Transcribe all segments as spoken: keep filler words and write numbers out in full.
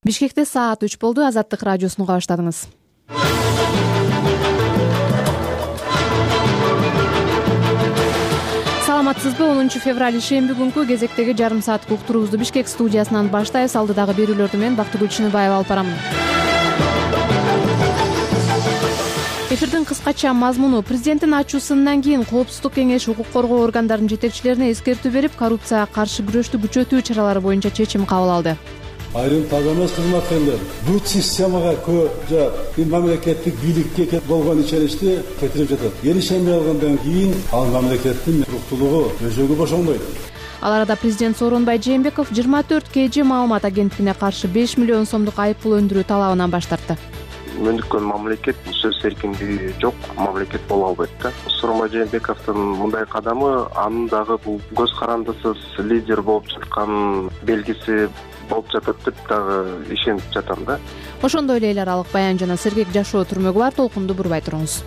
Бишкекте саат үч болду. Азаттык радиосун уга баштадыңыз. Саламатсызбы? онунчу февраль ишемби күнкү кезектеги жарым сааттык уктуруубузду Бишкек студиясынан баштайбыз. Алдыдагы берүүлөрдү мен Бактыгүл Чыныбаева алып барамын. Эфирдин кыскача мазмуну: президенттин ачуусунан кийин Коопсуздук кеңеши укук коргоо органдарынын жетекчилерине эскертүү берип, коррупцияга каршы күрөштү күчөтүү чаралары боюнча чечим кабыл алды. Айрым таза кызматкерлер бут системага көжө мамлекеттик бийликке болгон ишеничти кетирип жатат. Эл ишенбей алгандан кийин ал мамлекеттин туруктуулугу өзөгү бошонбойт. Ал арада президент Сооронбай Жээнбеков жыйырма төрт кей жи маалымат агенттигине каршы беш миллион сомдук айыппул өндүрүү талабынан баш тартты. Мөндүккөн мамлекет сөз эркиндиги жок мамлекет боло албайт да. Сооронбай Жээнбековдун мындай кадамы анын дагы бул көз карандысыз лидер болуп жаткан белгиси болуп жатат деп дагы ишенип жатам да. Ошондой эле эл аралык баян жана сергек жашоо түрмөгү бар. Толкунду бурбай туруңуз.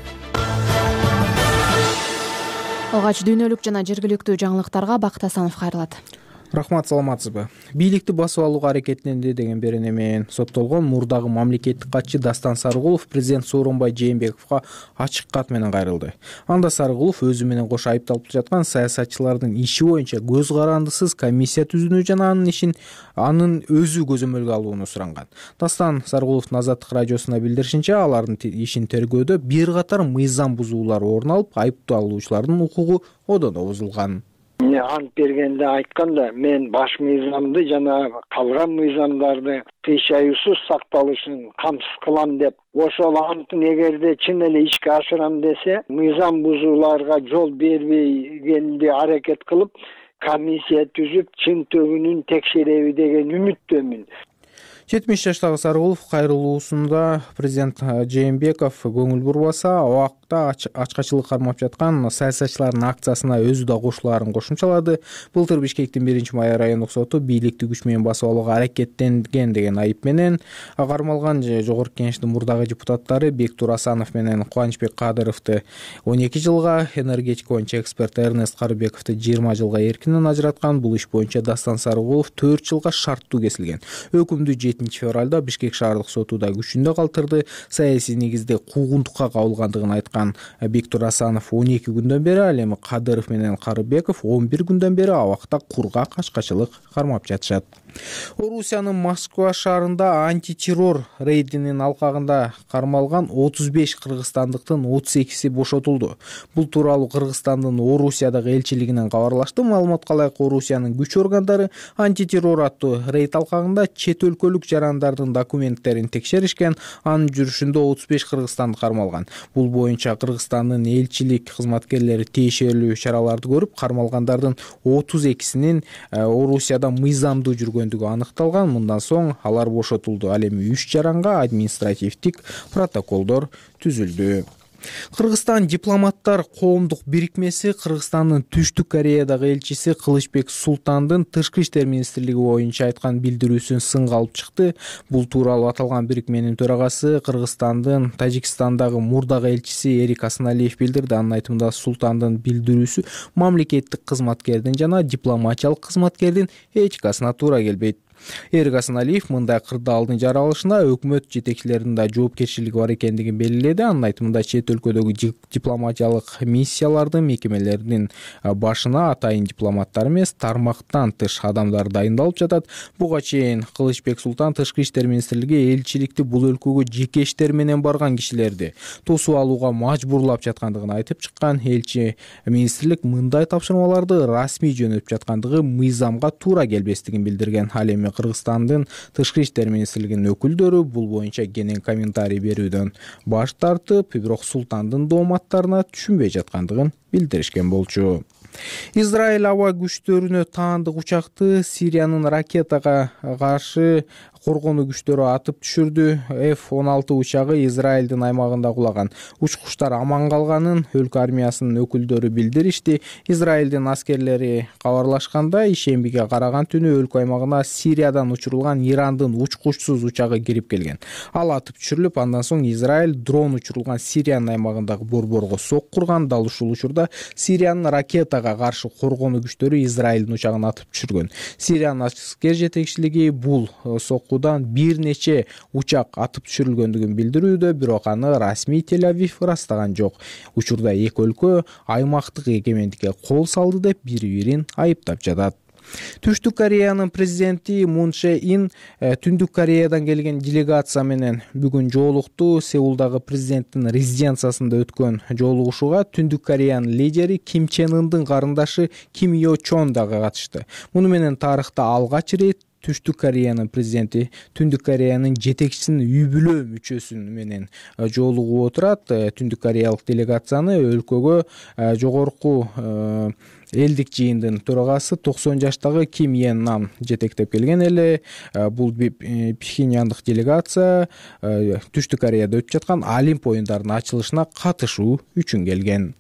Алгач дүйнөлүк жана жергиликтүү жаңылыктарга Бакыт Асанов кайрылат. Рахмат, саламатсызбы? Бийликти басып алууга аракеттенди деген берене менен соттолгон мурдагы мамлекеттик катчы Дастан Сарыгулов президент Сооронбай Жээнбековго ачык кат менен кайрылды. Анда Сарыгулов өзү менен кошо айыпталып жаткан саясатчылардын иши боюнча көз карандысыз комиссия түзүүнү жана анын ишин анын өзү көзөмөлгө алууну суранган. Дастан Сарыгуловдун Азаттык радиосуна билдиришинче, алардын ишин тергөөдө бир катар мыйзам бузуулар орун алып, айыпталуучулардын укугу одондо бузулган. Ант бергенде айтканда, мен баш мыйзамды жана калган мыйзамдарды кыйшаюусуз сакталышын камсыз кылам деп, ошол антын эгерде чын эле ишке ашырам десе, мыйзам бузууларга жол бербегенди аракет кылып, комиссия түзүп, чын төгүнүн текшереби деген үмүттөмүн. жетимиш жаштагы Сарыгулов кайрылуусунда президент Жээнбеков көңүл бурбаса, убакта ачкачылык кармап жаткан саясатчылардын акциясына өзү да кошулаарын кошумчалады. Былтыр Бишкектин биринчи май райондук соту бийликти күч менен басып алууга аракеттенген деген айып менен кармалган жогорку кеңештин мурдагы депутаттары Бектур Асанов менен Кубанычбек Кадыровду он эки жылга, энергетика боюнча эксперт Эрнест Карыбековду жыйырма жылга эркинен ажыраткан. Бул иш боюнча Дастан Сарыгулов төрт жылга шарттуу кесилген. Өкүмдү жетинчи февралда Бишкек шаардык сотуда күчүндө калтырды. Саясий негизде куугунтукка кабылгандыгын айткан Бектур Асанов он эки күндөн бери, ал эми Кадыров менен Карыбеков он бир күндөн бери абакта кургак ачкачылык кармап жатышат. Орусиянын Москва шаарында антитеррор рейдинин алкагында кармалган отуз беш кыргызстандыктын отуз экиси бошотулду. Бул тууралуу Кыргызстандын Орусиядагы элчилигинен кабарлашты. Маалыматка ылайык, Орусиянын күч органдары антитеррор аттуу рейд алкагында чет өлкөлүк жарандардын документтерин текшеришкен. Анын жүрүшүндө отуз беш кыргызстандык кармалган. Бул боюнча Кыргызстандын элчилик кызматкерлери тиешелүү чараларды көрүп, кармалгандардын отуз экисинин Орусияда мыйзамдуу жүргөн аныкталган. Мындан соң алар бошотулду. Ал эми үч жаранга административдик протоколдор түзүлдү. Кыргызстан дипломаттар коомдук бирикмеси Кыргызстандын Түштүк Кореядагы элчиси Кылычбек Султандын тышкы иштер министрлиги боюнча айткан билдирүүсүн сынга алып чыкты. Бул тууралуу аталган бирикменин төрагасы Кыргызстандын Тажикстандагы мурдагы элчиси Эрик Асаналиев билдирди. Анын айтымында, Султандын билдирүүсү мамлекеттик кызматкердин жана дипломатиялык кызматкердин этикасына туура келбейт. Эрик Асаналиев мындай кырдаалдын жаралышына өкмөт жетекчилеринин да жоопкерчилиги бар экендигин белгиледи. Анын айтымында, чет өлкөдөгү дипломатиялык миссиялардын мекемелеринин башына атайын дипломаттар эмес, тармактан тыш адамдар дайындалып жатат. Буга чейин Кылычбек Султан тышкы иштер министрлиги элчиликти бул өлкөгө жеке иштер менен барган кишилерди тосуп алууга мажбурлап жаткандыгын айтып чыккан. Элчи министрлик мындай тапшырмаларды расмий жөнөтүп жаткандыгы мыйзамга туура келбестигин билдирген. Ал эми Кыргызстандын тышкы иштер министрлигинин өкүлдөрү бул боюнча кенен комментарий берүүдөн баш тартып, бирок Султандын дооматтарына түшүнбөй жаткандыгын билдиришкен болчу. Израиль аба күчтөрүнө таандык учакты Сириянын ракетага каршы коргонуу күчтөрү атып түшүрдү. эф он алты учагы Израилдин аймагында кулаган. Учкучтар аман калганын өлкө армиясынын өкүлдөрү билдиришти. Израилдин аскерлери кабарлашканда, ишембиге караган түнү өлкө аймагына Сириядан учурулган Ирандын учкучсуз учагы кирип келген. Ал атып түшүрүлүп, андан соң Израиль дрон учурулган Сириянын аймагындагы борборго сок курган. Дал ушул учурда Сириянын ракетага Сирияга каршы коргонуу күчтөрү Израилдин учагын атып түшүргөн. Сириянын аскер жетекчилиги бул соккудан бир нече учак атып түшүрүлгөндүгүн билдирүүдө, бирок аны расмий Тель-Авив ырастаган жок. Учурда эки өлкө аймактык эгемендикке кол салды деп бири-бирин айыптап жатат. Түштүк Кореянын президенти Мун Чже Ин Түндүк Кореядан келген делегация менен бүгүн жолукту. Сеулдагы президенттин резиденциясында өткөн жолугушууга Түндүк Кореянын лидери Ким Чен Ындын карындашы Ким Йо Чон дагы катышты. Муну менен тарыхта алгач ирет Түштүк Кореянын президенти Түндүк Кореянын жетекчисинин үй бүлө мүчөсү менен жолугуп отурат. Түндүк Кореялык делегацияны өлкөгө жогорку элдик жыйындын төрагасы токсон жаштагы Ким Йен Нам жетектеп келген эле. Бул Пхеньяндык делегация Түштүк Кореяда өтүп жаткан Олимп оюндарынын ачылышына катышуу үчүн келген.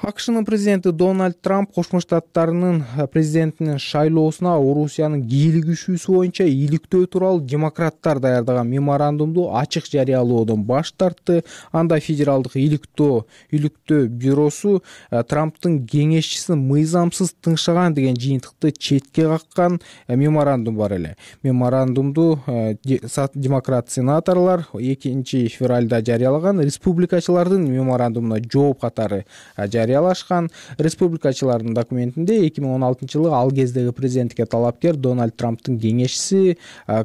АКШнын президенти Дональд Трамп Кошмо Штаттарынын президентинин шайлоосуна Орусиянын кийлигишүүсү боюнча иликтөө тууралуу демократтар даярдаган меморандумду ачык жарыялоодон баш тартты. Анда федералдык иликтөө иликтөө бюросу Трамптын кеңешчисин мыйзамсыз тыңшаган деген жыйынтыкты четке каккан меморандум бар эле. Меморандумду демократ сенаторлор экинчи февралда жарыялаган. Республикачылардын меморандумуна жооп катары жарыялашкан. Республикачылардын документинде эки миң он алтынчы жылы ал кездеги президентке талапкер Дональд Трамптын кеңешчиси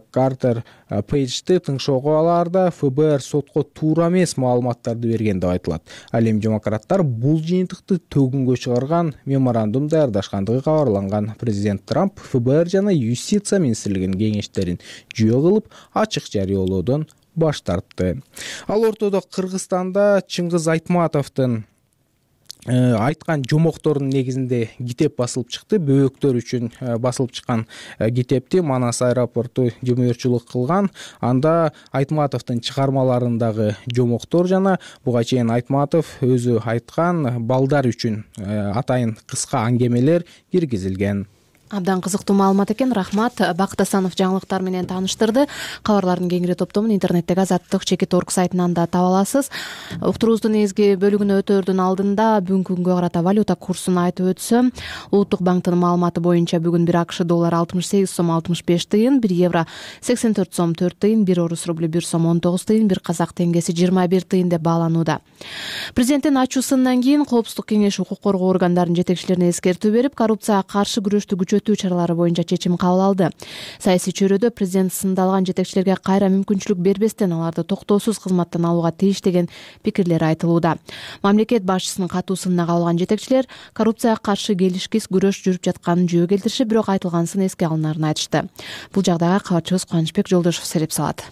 Картер Пейджди тыңшоого алаарда эф бэ эр сотко туура эмес маалыматтарды берген деп айтылат. Ал эми демократтар бул жыйынтыкты төгүнгө чыгарган меморандум даярдашкандыгы кабарланган. Президент Трамп эф бэ эр жана юстиция министрлигинин кеңештерин жүйө кылып ачык жарыялоодон баш тартты. Ал ортодо Кыргызстанда Чыңгыз Айтматовдун айткан жомокторунун негизинде китеп басылып чыкты. Бөөктөр үчүн басылып чыккан китепти Манас аэропорту жумуурчулук кылган. Анда Айтматовдун чыгармаларындагы жомоктор жана буга чейин Айтматов өзү айткан балдар үчүн атайын кыска аңгемелер киргизилген. Абдан кызыктуу маалымат экен. Рахмат. Бакыт Асанов жаңылыктар менен тааныштырды. Кабарлардын кеңири топтомун интернеттеги Азаттык чекит орг сайтынан да таба аласыз. Уктуруубуздун негизги бөлүгүнө өтөөрдүн алдында бүгүнкү күнгө карата валюта курсун айтып өтсөм, Улуттук банктын маалыматы боюнча бүгүн бир АКШ доллары алтымыш сегиз сом алтымыш беш тыйын, бир евро сексен төрт сом төрт тыйын, бир орус рублю бир сом он тогуз тыйын, бир казак теңгеси жыйырма бир тыйын деп бааланууда. Президенттин ачуусунан кийин Коопсуздук кеңеши укук коргоо органдарынын жетекчилерине эскертүү берип, коррупцияга каршы күрөштү күчөтүү чаралары боюнча чечим кабыл алды. Саясий чөйрөдө президент сындалган жетекчилерге кайра мүмкүнчүлүк бербестен аларды токтоосуз кызматтан алууга тийиш деген пикирлер айтылууда. Мамлекет башчысынын катуусуна кабылган жетекчилер коррупцияга каршы келишкис күрөш жүрүп жатканын жөө келтиришип, бирок айтылганысын эске алынаарын айтышты. Бул жагдайга кабарчыбыз Кубанычбек Жолдошов сереп салат.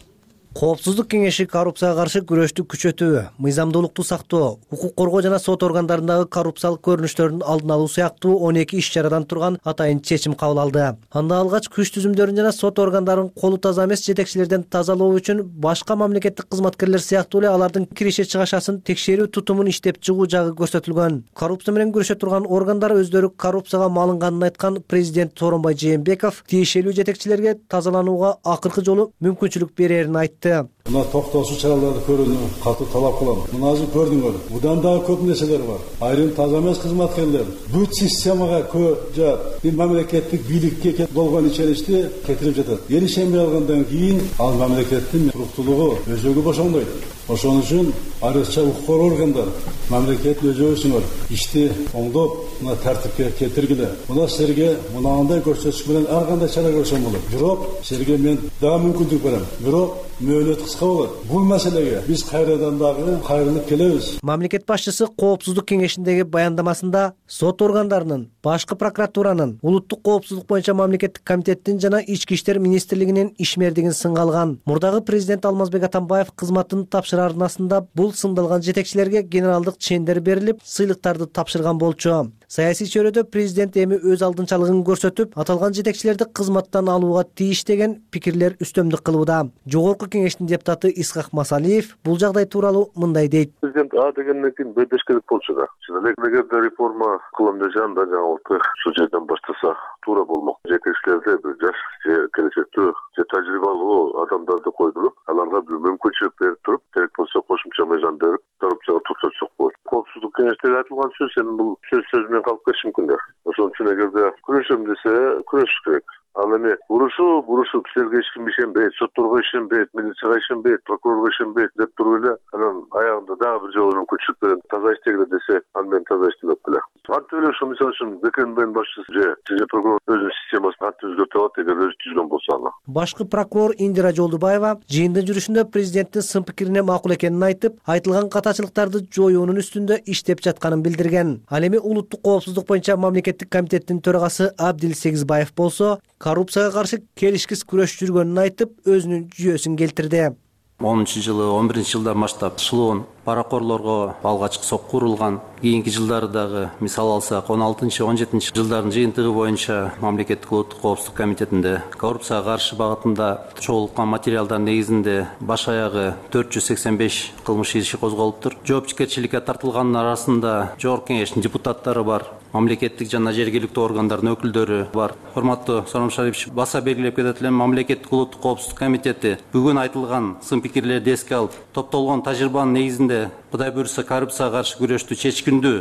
Коопсуздук кеңеши коррупцияга каршы күрөштү күчөтүү, мыйзамдуулукту сактоо, укук коргоо жана сот органдарындагы коррупциялык көрүнүштөрдүн алдын алуу сыяктуу он эки иш чарадан турган атайын чечим кабыл алды. Анда алгач күч түзүмдөрүн жана сот органдарын колу таза эмес жетекчилерден тазалоо үчүн башка мамлекеттик кызматкерлер сыяктуу эле алардын киреше чыгашасын текшерүү тутумун иштеп чыгуу жагы көрсөтүлгөн. Коррупция менен күрөшө турган органдар өздөрү коррупцияга малынганын айткан президент Сооронбай Жээнбеков тиешелүү жетекчилерге тазаланууга акыркы жолу мүмкүнчүлүк берерин айтты. Мына токтоосуз чараларды көрүүнү катуу талап кылам. Мына азыр көрдүңөр. Будан дагы көп нерселер бар. Айрым таза эмес кызматкерлер бүт системага көжа бир мамлекеттик бийликке болгон ичеришти кетирип жатат. Эришенбей алгандан кийин ал мамлекеттин туруктуулугу өзөгү бошондойт. Ошон үчүн айрыкча укук коргоо органдар мамлекеттин өзөгүсүңөр ишти оңдоп, мына тартипке келтиргиле. Мына силерге мынандай көрсөтүш менен ар кандай чара көрсөм болот. Бирок силерге мен дагы мүмкүндүк берем. Бирок мөөнөт кыска болот. Бул маселеге биз кайрадан дагы кайрылып келебиз. Мамлекет башчысы Коопсуздук кеңешиндеги баяндамасында сот органдарынын, башкы прокуратуранын, улуттук коопсуздук боюнча мамлекеттик комитеттин жана ички иштер министрлигинин ишмердигин сынга алган. Мурдагы президент Алмазбек Атамбаев кызматын тапшырарнасында бул сындалган жетекчилерге генералдык чендер берилип, сыйлыктарды тапшырган болчу. Саясий чөйрөдө президент эми өз алдынчалыгын көрсөтүп, аталган жетекчилерди кызматтан алууга тийиш деген пикирлер үстөмдүк кылууда. Жогорку кеңештин депутаты Исхак Масалиев бул жагдай тууралуу мындай дейт. Президент А дегенден кийин Б деш керек болчу да. Эгерде реформа кылам десем да жаңылыкты ушул жерден баштаса туура болмок. Жетекчилерде бир жаш же келечектүү же тажрыйбалуу адамдарды койдуруп, аларга бир мүмкүнчүлүк берип туруп, керек болсо кошумча мыйзам берип, коррупцияга токтотсок болот. Коопсуздук кеңеши эртеге айтылган сөз эми бул сөз сөз менен калып кетиши мүмкүн да. Ошон үчүн эгерде күрөшөм десе күрөшүш керек. Ал эми урушуп урушуп силерге эч ким ишенбейт, сотторго ишенбейт, милицияга ишенбейт, прокурорго ишенбейт деп туруп эле анан аягында дагы бир жолу мүмкүнчүлүк менен таза иштегиле десе, аны мен таза иштеп эле. Антип эле ошо мисалы үчүн БКНБнын башчысы же же прокурор өзүнүн системасын антип өзгөртүп алат эгер өзү түзгөн болсо аны. Башкы прокурор Индира Жолдубаева жыйындын жүрүшүндө президенттин сын пикирине макул экенин айтып, айтылган катачылыктарды жоюунун үстүндө иштеп жатканын билдирген. Ал эми улуттук коопсуздук боюнча мамлекеттик комитеттин төрагасы Абдил Сегизбаев болсо, коррупцияга каршы келишкис күрөш жүргөнүн айтып, өзүнүн жүйөсүн келтирди. онунчу жылы он биринчи жылдан баштап шылоон паракорлорго алгачкы сок курулган. Кийинки жылдары дагы мисал алсак он алтынчы он жетинчи жылдардын жыйынтыгы боюнча мамлекеттик улуттук коопсуздук комитетинде коррупцияга каршы багытында чогулткан материалдар негизинде баш аягы төрт жүз сексен беш кылмыш иши козголуптур. Жоопкерчиликке тартылгандын арасында Жогорку Кеңештин депутаттары бар, мамлекеттик жана жергиликтүү органдардын өкүлдөрү бар. Урматтуу Сооронбай Шарипович, баса белгилеп кетет элем, мамлекеттик улуттук коопсуздук комитети бүгүн айтылган сын пикирлерди эске алып, топтолгон тажрыйбанын негизинде Кудай буйрса коррупцияга каршы күрөштү чечкиндүү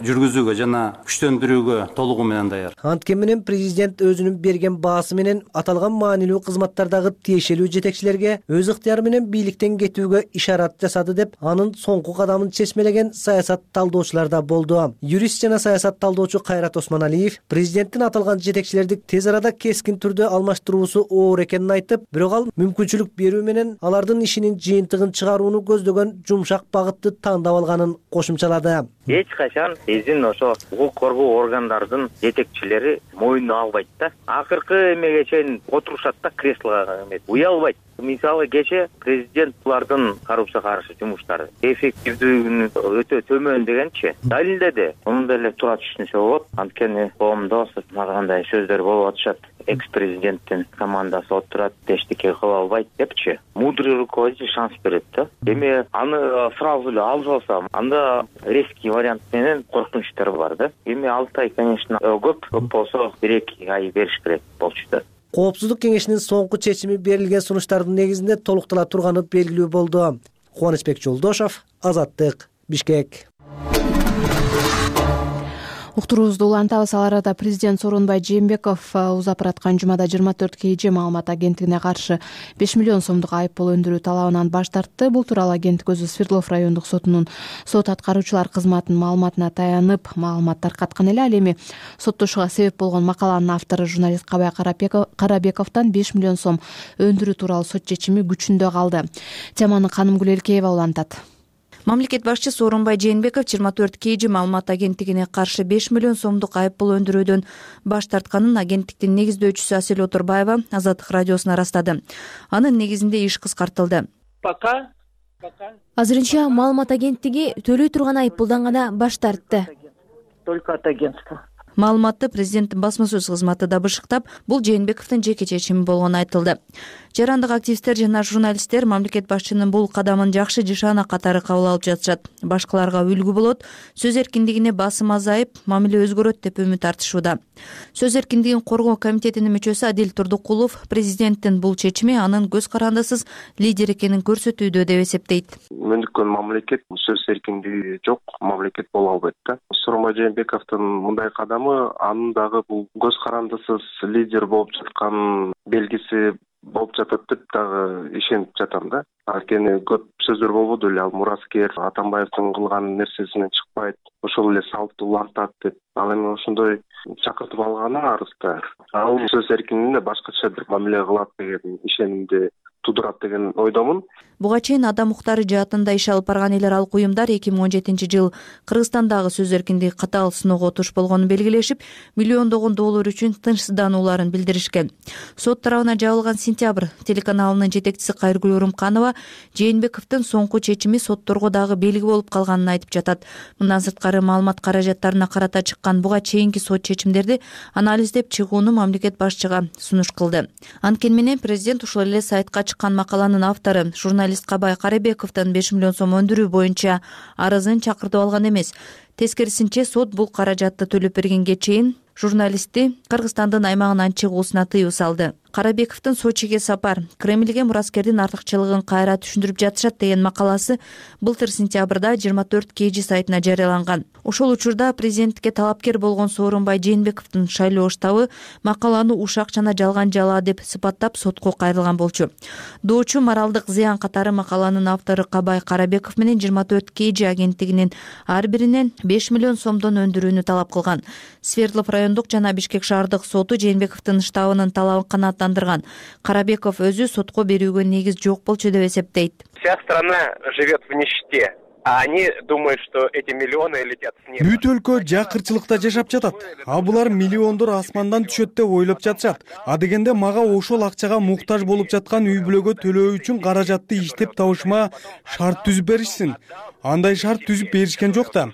жүргүзүүгө жана күчтөндүрүүгө толугу менен даяр. Анткени менен президент өзүнүн берген баасы менен аталган маанилүү кызматтардагы тиешелүү жетекчилерге өз ыктыяры менен бийликтен кетүүгө ишарат жасады деп, анын соңку кадамын чечмелеген саясат талдоочулар да болду. Юрист жана саясат талдоочу Кайрат Осмоналиев президенттин аталган жетекчилерди тез арада кескин түрдө алмаштыруусу оор экенин айтып, бирок ал мүмкүнчүлүк берүү менен алардын ишинин жыйынтыгын чыгарууну көздөгөн жумшак багытты тандап алганын кошумчалады. Эч качан биздин ошо укук коргоо органдардын жетекчилери мойнуна албайт да. Акыркы эмеге чейин отурушат да креслого, уялбайт. Мисалы кече президент булардын коррупцияга каршы жумуштары эффективдүүлүгүн өтө төмөн дегенчи далилдеди. Муну деле туура түшүнсө болот. Анткени коомдо мындай сөздөр болуп атышат. Экс-президенттин командасы отурат, эчтеке кыла албайт депчи. Мудрый руководитель шанс берет да. Эми аны сразу эле алып алсам, анда резкий вариант менен коркунучтар бар да. Эми алты ай, конечно, көп, көп болсо бир эки ай бериш керек болчу да. Коопсуздук кеңешинин соңку чечими берилген сунуштардын негизинде толуктала турганы белгилүү болду. Кубанычбек Жолдошов, Азаттык, Бишкек. Уктуруубузду улантабыз. Ал арада президент Сооронбай Жээнбеков узап бараткан жумада жыйырма төрт кей же маалымат агенттигине каршы беш миллион сомдук айыппул өндүрүү талабынан баш тартты. Бул тууралуу агенттик өзү Свердлов райондук сотунун сот аткаруучулар кызматынын маалыматына таянып маалымат таркаткан эле. Ал эми соттошууга себеп болгон макаланын автору журналист Кабай Карабековдон беш миллион сом өндүрүү тууралуу сот чечими күчүндө калды. Теманы Канымгүл Элкеева улантат. Мамлекет башчысы Сооронбай Жээнбеков жыйырма төрт кей же маалымат агенттигине каршы беш миллион сомдук айыппул өндүрүүдөн баш тартканын агенттиктин негиздөөчүсү Асель Отурбаева Азаттык радиосуна ырастады. Анын негизинде иш кыскартылды. Пока азырынча маалымат агенттиги төлөй турган айыппулдан гана баш тартты. Только от агентства. Маалыматты президенттин басма сөз кызматы да бышыктап, бул Жээнбековдун жеке чечими болгону айтылды. Жарандык активисттер жана журналисттер мамлекет башчынын бул кадамын жакшы жышаана катары кабыл алып жатышат. Башкаларга үлгү болот, сөз эркиндигине басым азайып, мамиле өзгөрөт деп үмүт артышууда. Сөз эркиндигин коргоо комитетинин мүчөсү Адил Турдукулов президенттин бул чечими анын көз карандысыз лидер экенин көрсөтүүдө деп эсептейт. Мөндүккөн мамлекет сөз эркиндиги жок мамлекет боло албайт да. Сооронбай Жээнбековдун мындай кадамы анын дагы бул көз карандысыз лидер болуп жаткан белгиси болуп жатат деп дагы ишенип жатам да. Анткени көп сөздөр болбоду эле, ал мураскер Атамбаевдин кылган нерсесинен чыкпайт, ошол эле салтты улантат деп. Ал эми ошондой чакыртып алганы арызда. Ал сөз эркиндигине башкача бир мамиле кылат деген ишенимди тудурат деген ойдомун. Буга чейин адам укуктары жаатында иш алып барган эл аралык уюмдар эки миң он жетинчи жыл Кыргызстандагы сөз эркиндиги катаал сыноого туш болгонун белгилешип, миллиондогон доллар үчүн тынчсызданууларын билдиришкен. Сот тарабына жабылган Сентябрь телеканалынын жетекчиси Кайыргүл Урумканова Жээнбековдун соңку чечими сотторго дагы белги болуп калганын айтып жатат. Мындан сырткары маалымат каражаттарына карата чыккан буга чейинки сот чечимдерди анализдеп чыгууну мамлекет башчыга сунуш кылды. Анткени менен президент ушул эле сайтка чыккан макаланын автору журналист Кабай Карабековдон беш миллион сом өндүрүү боюнча арызын чакыртып алган эмес. Тескерисинче сот бул каражатты төлөп бергенге чейин журналистти Кыргызстандын аймагынан чыгуусуна тыюу салды. Карабековдун Сочиге сапар, Кремльге мураскердин артыкчылыгын кайра түшүндүрүп жатышат деген макаласы былтыр сентябрда жыйырма төрт кей жи сайтына жарыяланган. Ошол учурда президенттикке талапкер болгон Сооронбай Жээнбековдун шайлоо штабы макаланы ушак жана жалган жалаа деп сыпаттап сотко кайрылган болчу. Доочу моралдык зыян катары макаланын автору Кабай Карабеков менен жыйырма төрт кей жи агенттигинин ар биринен беш миллион сомдон өндүрүүнү талап кылган. Свердлов райондук жана Бишкек шаардык соту Жээнбековдун штабынын талабын канааттандырган. Карабеков өзү сотко берүүгө негиз жок болчу деп эсептейт. Вся страна живет в нищете. А они думают, что эти миллионы летят с неба. Бүт өлкө жакырчылыкта жашап жатат. А булар миллиондор асмандан түшөт деп ойлоп жатышат. А дегенде мага ошол акчага муктаж болуп жаткан үй бүлөгө төлөө үчүн каражатты иштеп табышыма шарт түзүп беришсин. Андай шарт түзүп беришкен жок да.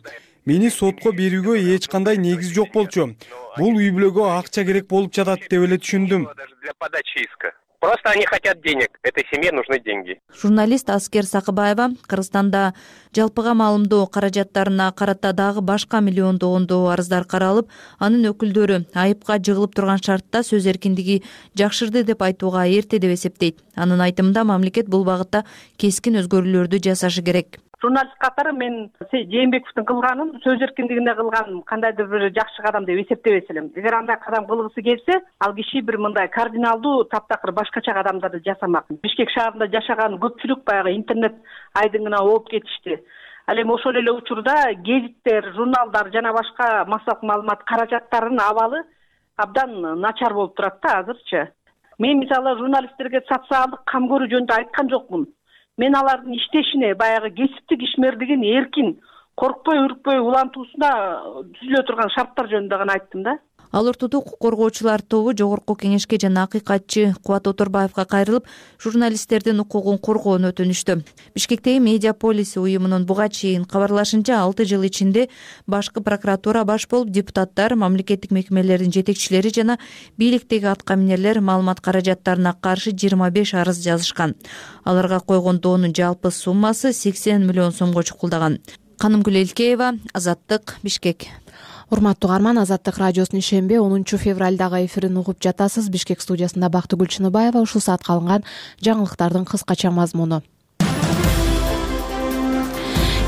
Мени сотко берүүгө эч кандай негиз жок болчу. Бул үй бүлөгө акча керек болуп жатат деп эле түшүндүм. Для подачи иска. Просто они хотят денег. Этой семье нужны деньги. Журналист Аскер Сакыбаева Кыргызстанда жалпыга маалымдоо каражаттарына карата дагы башка миллиондогондоо арыздар каралып, анын өкүлдөрү айыпка жыгылып турган шартта сөз эркиндиги жакшырды деп айтууга эрте деп эсептейт. Анын айтымында мамлекет бул багытта кескин өзгөрүүлөрдү жасашы керек. Журналист катары мен Жээнбековдун кылганын сөз эркиндигине кылган кандайдыр бир жакшы кадам деп эсептебес элем. Эгер андай кадам кылгысы келсе, ал киши бир мындай кардиналдуу таптакыр башкача кадамдарды жасамак. Бишкек шаарында жашаган көпчүлүк баягы интернет айдыңына ооп кетишти. Ал эми ошол эле учурда гезиттер, журналдар жана башка массалык маалымат каражаттарынын абалы абдан начар болуп турат да азырчы. Мен мисалы журналисттерге социалдык кам көрүү жөнүндө айткан жокмун. Мен алардын иштешине, баягы кесиптик ишмердигин эркин, коркпой, үркпөй улантуусуна түзүлө турган шарттар жөнүндө гана айттым да. Ал ортодо укук коргоочулар тобу жогорку кеңешке жана акыйкатчы Кубат Оторбаевга кайрылып, журналисттердин укугун коргоону өтүнүштү. Бишкектеги Медиаполис уюмунун буга чейин кабарлашынча алты жыл ичинде башкы прокуратура баш болуп, депутаттар, мамлекеттик мекемелердин жетекчилери жана бийликтеги аткаминерлер маалымат каражаттарына каршы жыйырма беш арыз жазышкан. Аларга койгон доонун жалпы суммасы сексен миллион сомго чукулдаган. Канымгүл Элкеева, Азаттык, Бишкек. Урматтуу угарман, Азаттык радиосунун ишемби онунчу февралдагы эфирин угуп жатасыз. Бишкек студиясында Бактыгүл Чыныбаева. Ушул саатка алынган жаңылыктардын кыскача мазмуну.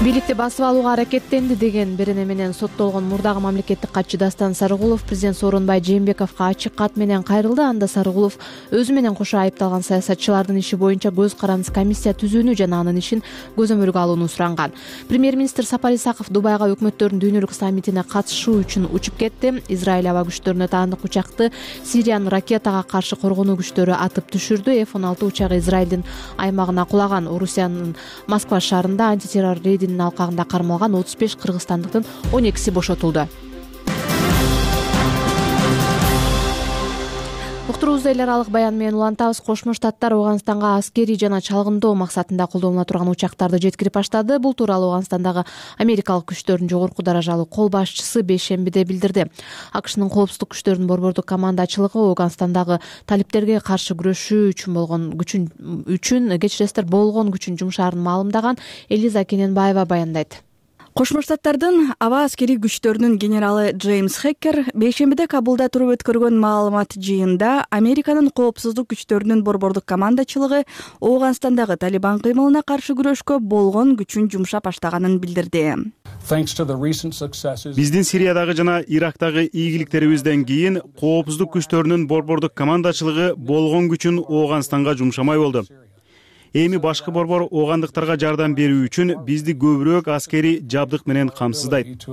Бийликти басып алууга аракеттенди деген берене менен соттолгон мурдагы мамлекеттик катчы Дастан Сарыгулов президент Сооронбай Жээнбековго ачык кат менен кайрылды. Анда Сарыгулов өзү менен кошо айыпталган саясатчылардын иши боюнча көз карандысыз комиссия түзүүнү жана анын ишин көзөмөлгө алууну суранган. Премьер-министр Сапар Исаков Дубайга өкмөттөрдүн дүйнөлүк саммитине катышуу үчүн учуп кетти. Израиль аба күчтөрүнө таандык учакты Сириянын ракетага каршы коргонуу күчтөрү атып түшүрдү. эф он алты учагы Израилдин аймагына кулаган. Орусиянын Москва шаарында антитеррор рейдинин алкагында кармалган отуз беш кыргызстандыктын он экиси бошотулду. Уктуруубузду эл аралык баян менен улантабыз. Кошмо Штаттар Ооганстанга аскерий жана чалгындоо максатында колдонула турган учактарды жеткирип баштады. Бул тууралуу Ооганстандагы америкалык күчтөрдүн жогорку даражалуу кол башчысы бейшембиде билдирди. АКШнын коопсуздук күчтөрүнүн борбордук командачылыгы Ооганстандагы талиптерге каршы күрөшүү үчүн болгон күчүн үчүн кечиресиздер болгон күчүн жумшаарын маалымдаган. Элиза Кененбаева баяндайт. Кошмо Штаттардын аба аскерий күчтөрүнүн генералы Джеймс Хеккер бейшембиде Кабулда туруп өткөргөн маалымат жыйынында Американын коопсуздук күчтөрүнүн борбордук командачылыгы Ооганстандагы Талибан кыймылына каршы күрөшкө болгон күчүн жумшап баштаганын билдирди. Биздин Сириядагы жана Ирактагы ийгиликтерибизден кийин коопсуздук күчтөрүнүн борбордук командачылыгы болгон күчүн Ооганстанга жумшамай болду. Эми башкы борбор оогандыктарга жардам берүү үчүн бизди көбүрөөк аскерий жабдык менен камсыздайт.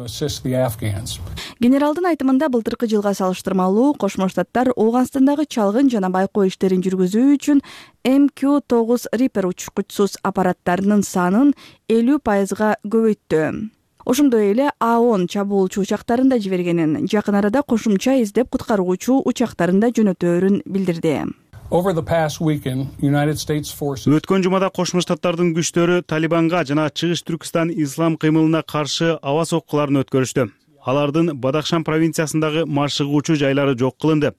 Генералдын айтымында былтыркы жылга салыштырмалуу Кошмо Штаттар Ооганстандагы чалгын жана байкоо иштерин жүргүзүү үчүн эм кью тогуз Reaper учкучсуз аппараттарынын санын элүү пайызга көбөйттү. Ошондой эле А он чабуулчу учактарын да жибергенин, жакын арада кошумча издеп куткаруучу учактарын да жөнөтөөрүн билдирди. Өткөн жумада Кошмо Штаттардын күчтөрү Талибанга жана Чыгыш Түркистан ислам кыймылына каршы аба соккуларын өткөрүштү. Алардын Бадахшан провинциясындагы маршыгуучу жайлары жок кылынды.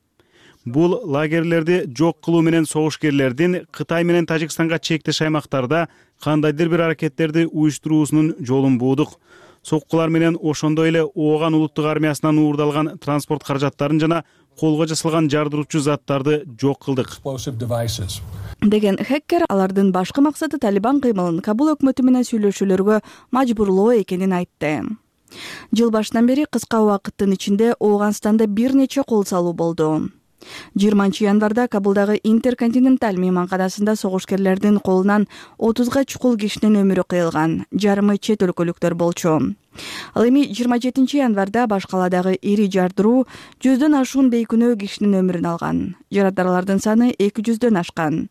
Бул лагерлерди жок кылуу менен согушкерлердин Кытай менен Тажикстанга чектеш аймактарда кандайдыр бир аракеттерди уюштуруусунун жолун буудук. соккулар менен ошондой эле ооган улуттук армиясынан уурдалган транспорт каражаттарын жана колго жасалган жардыруучу заттарды жок кылдык деген хакер алардын башкы максаты Талибан кыймылын Кабул өкмөтү менен сүйлөшүүлөргө мажбурлоо экенин айтты. Жыл башынан бери кыска убакыттын ичинде Ооганстанда бир нече кол салуу болду. жыйырманчы январда Кабулдагы Интерконтиненталь мейманканасында согушкерлердин колунан отузга чукул кишинин өмүрү кыйылган, жарымы чет өлкөлүктөр болчу. Ал эми жыйырма жетинчи январда баш каладагы ири жардыруу жүздөн ашуун бейкүнөө кишинин өмүрүн алган. Жараткарлардын саны эки жүздөн ашкан.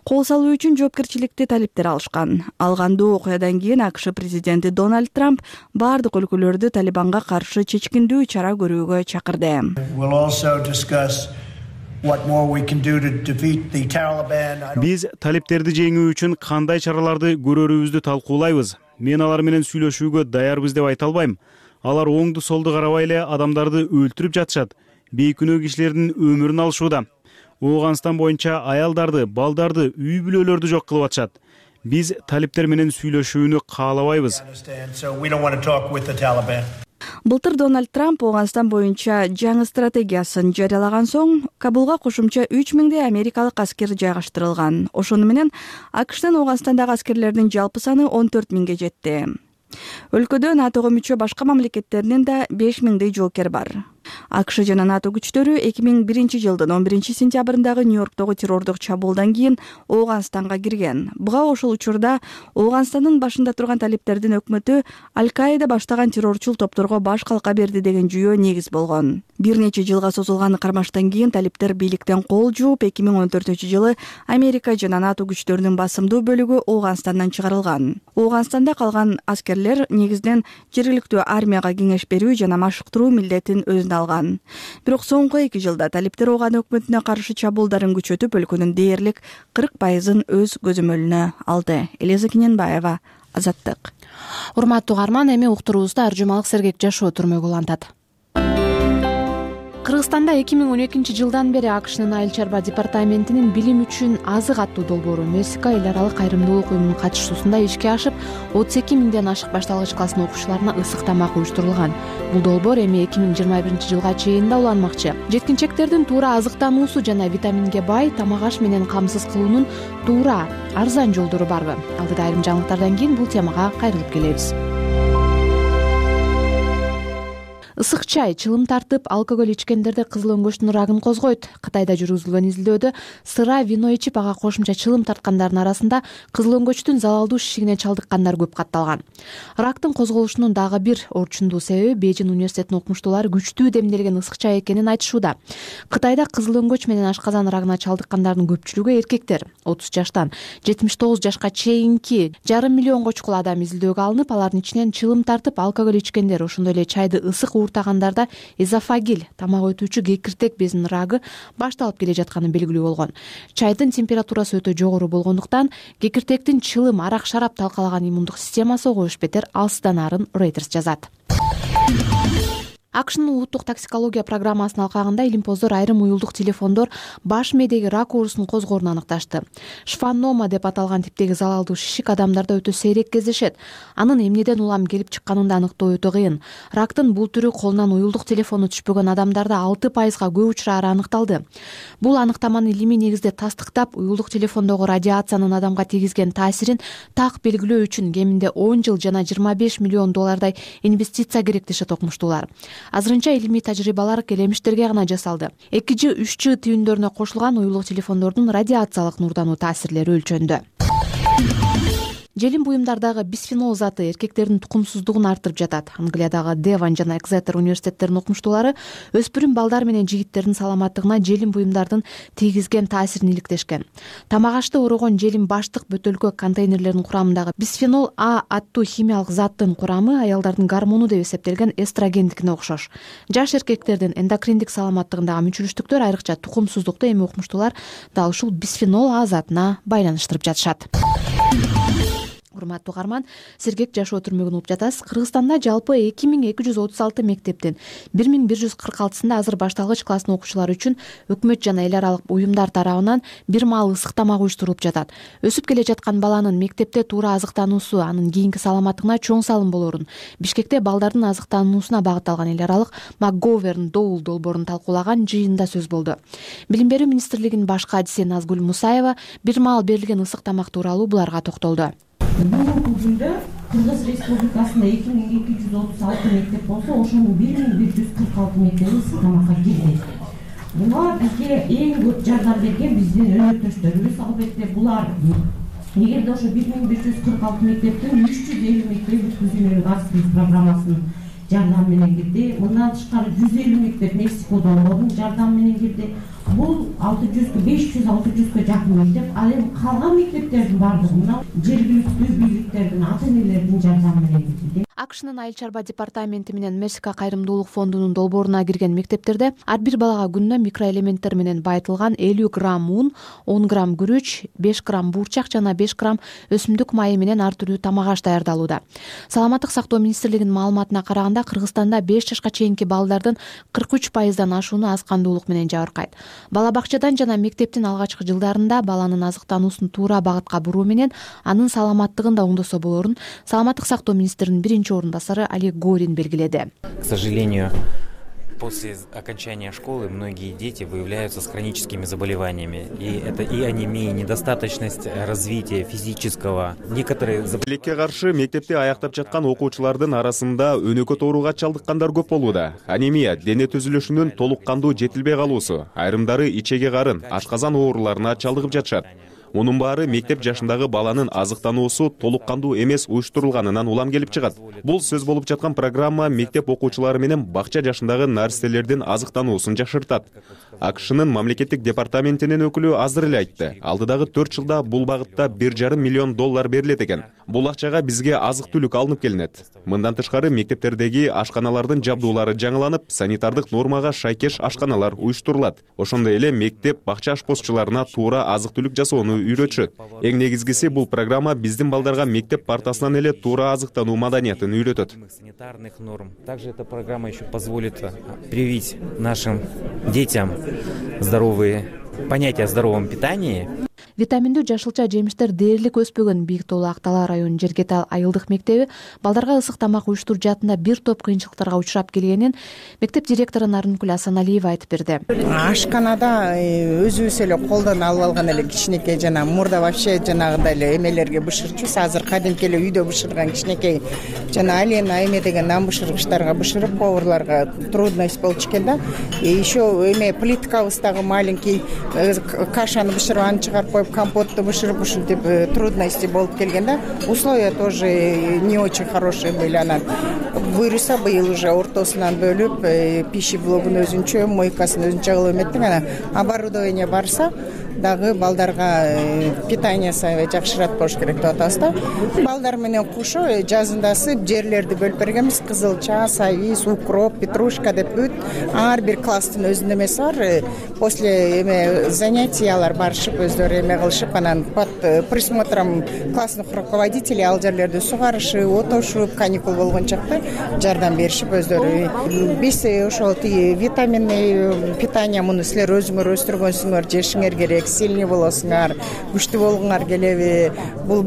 Кол салуу үчүн жоопкерчиликти талиптер алышкан. Ал кандуу окуядан кийин АКШ президенти Дональд Трамп бардык өлкөлөрдү Талибанга каршы чечкиндүү чара көрүүгө чакырды. Биз талиптерди жеңүү үчүн кандай чараларды көрөрүбүздү талкуулайбыз. Мен алар менен сүйлөшүүгө даярбыз деп айта албайм. Алар оңду солду карабай эле адамдарды өлтүрүп жатышат. Бейкүнөө кишилердин өмүрүн алышууда. Ооганстан боюнча аялдарды, балдарды, үй бүлөлөрдү жок кылып атышат. Биз талиптер менен сүйлөшүүнү каалабайбыз. Былтыр Дональд Трамп Ооганстан боюнча жаңы стратегиясын жарыялаган соң Кабулга кошумча үч миңдей америкалык аскер жайгаштырылган. Ошону менен АКШтын Ооганстандагы аскерлердин жалпы саны он төрт миңге жетти. Өлкөдө НАТОго мүчө башка мамлекеттердин да беш миңдей жоокер бар. АКШ жана НАТО күчтөрү эки миң биринчи жылдын он биринчи сентябрындагы Нью-Йорктогу террордук чабуулдан кийин Ооганстанга кирген. Буга ошол учурда Ооганстандын башында турган талиптердин өкмөтү Аль-Каида баштаган террорчул топторго баш калка берди деген жүйөө негиз болгон. Бир нече жылга созулган кармаштан кийин талиптер бийликтен кол жууп, эки миң он төртүнчү жылы Америка жана НАТО күчтөрүнүн басымдуу бөлүгү Ооганстандан чыгарылган. Ооганстанда калган аскерлер негизинен жергиликтүү армияга кеңеш берүү жана машыктыруу милдетин өзүнө алган. Бирок соңку эки жылда талиптер Ооган өкмөтүнө каршы чабуулдарын күчөтүп, өлкөнүн дээрлик кырк пайызын өз көзөмөлүнө алды. Элиза Кененбаева, Азаттык. Урматтуу угарман, эми уктуруубузда ар жумалык сергек жашоо түрмөгү улантат. Кыргызстанда эки миң он экинчи жылдан бери АКШнын айыл чарба департаментинин билим үчүн азык аттуу долбоору Мексика эл аралык кайрымдуулук уюмунун катышуусунда ишке ашып, отуз эки миңден ашык башталгыч класстын окуучуларына ысык тамак уюштурулган. Бул долбоор эми эки миң жыйырма биринчи жылга чейин да уланмакчы. Жеткинчектердин туура азыктануусу жана витаминге бай тамак аш менен камсыз кылуунун туура, арзан жолдору барбы? Алдыда айрым жаңылыктардан кийин бул темага кайрылып келебиз. Ысык чай, чылым тартып, алкоголь ичкендерде кызыл өңгөчтүн рагын козгойт. Кытайда жүргүзүлгөн изилдөөдө сыра, вино ичип, ага кошумча чылым тарткандардын арасында кызыл өңгөчтүн залалдуу шишигине чалдыккандар көп катталган. Рактын козголушунун дагы бир орчундуу себеби Бейжин университетинин окумуштуулары күчтүү демделген ысык чай экенин айтышууда. Кытайда кызыл өңгөч менен ашказан рагына чалдыккандардын көпчүлүгү эркектер. отуз жаштан жетимиш тогуз жашка чейинки жарым миллионго чукул адам изилдөөгө алынып, алардын ичинен чылым тартып, алкоголь ичкендер, ошондой эле чайды ысык ууртагандарда эзофагил, тамак өтүүчү кекиртек безинин рагы башталып келе жатканы белгилүү болгон. Чайдын температурасы өтө жогору болгондуктан кекиртектин чылым, арак, шарап талкалаган иммундук системасы ого беш бетер алсыздanaарын Reuters жазат. АКШнын улуттук токсикология программасынын алкагында илимпоздор айрым уюлдук телефондор баш мээдеги рак оорусун козгоорун аныкташты. Шфанома деп аталган типтеги залалдуу шишик адамдарда өтө сейрек кездешет. Анын эмнеден улам келип чыкканын да аныктоо өтө кыйын. Рактын бул түрү колунан уюлдук телефону түшпөгөн адамдарда алты пайызга көп учурары аныкталды. Бул аныктаманы илимий негизде тастыктап, уюлдук телефондогу радиациянын адамга тийгизген таасирин так белгилөө үчүн кеминде он жыл жана жыйырма беш миллион доллардай инвестиция керек дешет окумуштуулар. Азырынча илимий тажрыйбалар келемиштерге гана жасалды. эки жи үч жи түйүндөрүнө кошулган уюлдук телефондордун радиациялык нурдануу таасирлери өлчөндү. Желим буюмдардагы бисфенол заты эркектердин тукумсуздугун арттырып жатат. Англиядагы Девон жана Экзетер университеттеринин окумуштуулары өспүрүм балдар менен жигиттердин саламаттыгына желим буюмдардын тийгизген таасирин иликтешкен. Тамак ашты орогон желим баштык бөтөлкө контейнерлеринин курамындагы бисфенол А аттуу химиялык заттын курамы аялдардын гормону деп эсептелген эстрогендикине окшош. Жаш эркектердин эндокриндик саламаттыгындагы мүчүлүштүктөр, айрыкча тукумсуздукту эми окумуштуулар дал ушул бисфенол А затына байланыштырып жатышат. урматтуу угарман, сергек жашоо түрмөгүн угуп жатасыз. Кыргызстанда жалпы эки миң эки жүз отуз алты мектептин бир миң бир жүз кырк алтысында азыр башталгыч класстын окуучулары үчүн өкмөт жана эл аралык уюмдар тарабынан бир маал ысык тамак уюштурулуп жатат. Өсүп келе жаткан баланын мектепте туура азыктануусу анын кийинки саламаттыгына чоң салым болорун Бишкекте балдардын азыктануусуна багытталган эл аралык МакГоверн Доул долбоорун талкуулаган жыйында сөз болду. Билим берүү министрлигинин баш кадиси Назгүл Мусаева бир маал берилген ысык тамак тууралуу буларга токтолду. Бүгүнкү күндө Кыргыз Республикасында эки миң эки жүз отуз алты мектеп болсо, ошонун бир миң бир жүз кырк алты мектеби ысык тамакка кирген. Буга бизге эң көп жардам берген биздин өнөктөштөрүбүз. Албетте булар эгерде ошо бир миң бир жүз кырк алты мектептин үч жүз элүү мектеби бүткүзүүнүн газ программасынын жардамы менен кирди. Мындан тышкары жүз элүү мектеп Мексика долбоорунун жардамы менен кирди. Бул алты жүз беш жүз алты жүзгө жакын мектеп. Ал эми калган мектептердин баардыгы мына жергиликтүү бийликтердин, ата-энелердин жардамы менен кирди. АКШнын Айыл чарба департаменти менен Мексика кайрымдуулук фондунун долбооруна кирген мектептерде ар бир балага күнүнө микроэлементтер менен байытылган элүү грамм ун, он грамм күрүч, беш грамм буурчак жана беш грамм өсүмдүк майы менен ар түрдүү тамак аш даярдалууда. Саламаттык сактоо министрлигинин маалыматына караганда, Кыргызстанда беш жашка чейинки балдардын кырк үч пайыздан ашууну аз кандуулук менен жабыркайт. Бала бакчадан жана мектептин алгачкы жылдарында баланын азыктануусун туура багытка буруу менен анын саламаттыгын да оңдосо болорун Саламаттык сактоо министринин биринчи орун басары Олег Горин белгиледи. К сожалению, после окончания школы многие дети выявляются с хроническими заболеваниями. И это и анемия, и недостаточность развития физического. Некоторые Тилекке каршы мектепте аяктап жаткан окуучулардын арасында өнөкөт ооруга чалдыккандар көп болууда. Анемия, дене түзүлүшүнүн толук кандуу жетилбей калуусу, айрымдары ичеге карын, ашказан ооруларына чалдыгып жатышат. Мунун баары мектеп жашындагы баланын азыктануусу толук кандуу эмес уюштурулганынан улам келип чыгат. Бул сөз болуп жаткан программа мектеп окуучулары менен бакча жашындагы наристелердин азыктануусун жашыртат. АКШнын мамлекеттик департаментинин өкүлү азыр эле айтты. Алдыдагы төрт жылда бул багытта бир жарым миллион доллар берилет экен. Бул акчага бизге азык-түлүк алынып келинет. Мындан тышкары мектептердеги ашканалардын жабдуулары жаңыланып, санитардык нормага шайкеш ашканалар уюштурулат. Ошондой эле мектеп бакча ашпозчуларына туура азык-түлүк жасоону үйрөтүшөт. Эң негизгиси бул программа биздин балдарга мектеп партасынан эле туура азыктануу маданиятын үйрөтөт. Санитарных норм. Также эта программа еще позволит привить нашим детям здоровые понятия о здоровом питании. Витаминдүү жашылча жемиштер дээрлик өспөгөн Бийик Тоолу Актала районунун Жергетал айылдык мектеби балдарга ысык тамак уюштуруп жатында бир топ кыйынчылыктарга учурап келгенин мектеп директору Нарынкүл Асаналиева айтып берди. Ашканада өзүбүз эле колдон алып алган эле кичинекей жана мурда вообще жанагындай эле эмелерге бышырчубуз. Азыр кадимки эле үйдө бышырган кичинекей жана алена эме деген нан бышыргычтарга бышырып поварларга трудность болчу экен да. И еще эме плиткабыздагы маленький кашаны бышырып аны чыгарып коюп компотту бышырып ушинтип трудности болуп келген да. Условия тоже не очень хорошие были. Она буюрса быйыл уже ортосунан бөлүп пищи блогун өзүнчө, мойкасын өзүнчө кылып эметтик. Анан оборудование барса дагы балдарга питаниясы жакшыраак болуш керек деп атабыз да. Балдар менен кошо жазындасы жерлерди бөлүп бергенбиз. Кызылча, савис, укроп, петрушка деп бүт ар бир класстын өзүнүн эмеси бар. После эме занятиялар барышып өздөрү эме кылышып, анан под присмотром классных руководителей ал жерлерди сугарышып, отошуп, каникул болгон чакта жардам беришип өздөрү. Биз ошол тиги витаминный питание муну силер өзүңөр өстүргөнсүңөр, жешиңер керек, сильный болосуңар, күчтүү болгуңар келеби, бул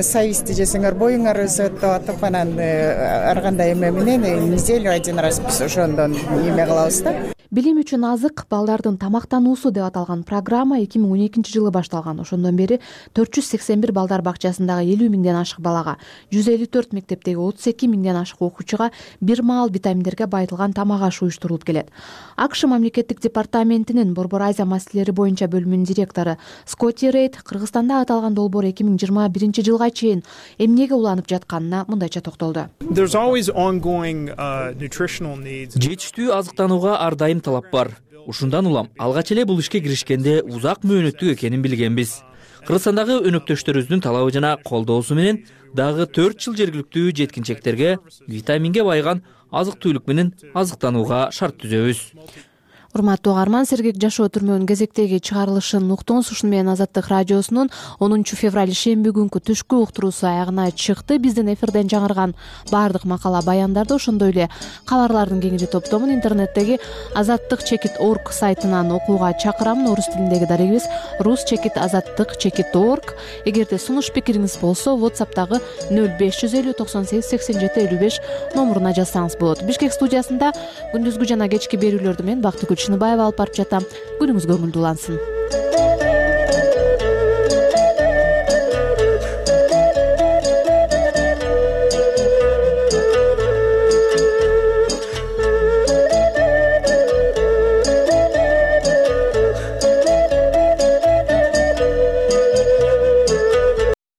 сависти жесеңер боюңар өсөт деп атып, анан ар кандай эме менен неделю один раз биз ошондон эме кылабыз да. Билим үчүн азык балдардын тамактануусу деп аталган программа эки миң он экинчи жылы башталган. Ошондон бери төрт жүз сексен бир балдар бакчасындагы элүү миңден ашык балага, жүз элүү төрт мектептеги отуз эки миңден ашык окуучуга бир маал витаминдерге байытылган тамак аш уюштурулуп келет. АКШ мамлекеттик департаментинин Борбор Азия маселелери боюнча бөлүмүнүн директору Скотти Рейд Кыргызстанда аталган долбоор эки миң жыйырма биринчи жылга чейин эмнеге уланып жатканына мындайча токтолду. Жетиштүү азыктанууга ар дайым талап бар. Ушундан улам алгач эле бул ишке киришкенде узак мөөнөттүк экенин билгенбиз. Кыргызстандагы өнөктөштөрүбүздүн талабы жана колдоосу менен дагы төрт жыл жергиликтүү жеткинчектерге витаминге байыган азык-түлүк менен азыктанууга шарт түзөбүз. урматтуу угарман, сергек жашоо түрмөнүн кезектеги чыгарылышын уктуңуз. Ушуну менен Азаттык радиосунун онунчу февраль шемби күнкү түшкү уктуруусу аягына чыкты. Биздин эфирден жаңырган баардык макала баяндарды, ошондой эле кабарлардын кеңири топтомун интернеттеги азаттык чекит орг сайтынан окууга чакырам. Орус тилиндеги дарегибиз рус чекит азаттык чекит орг. Эгерде сунуш пикириңиз болсо, WhatsApp'тагы нөл беш жүз элүү токсон сегиз сексен жети элүү беш номуруна жазсаңыз болот. Бишкек студиясында күндүзгү жана кечки берүүлөрдү мен Бактыгүл Чыныбаева алып барып жатам. Күнүңүз көңүлдүү улансын.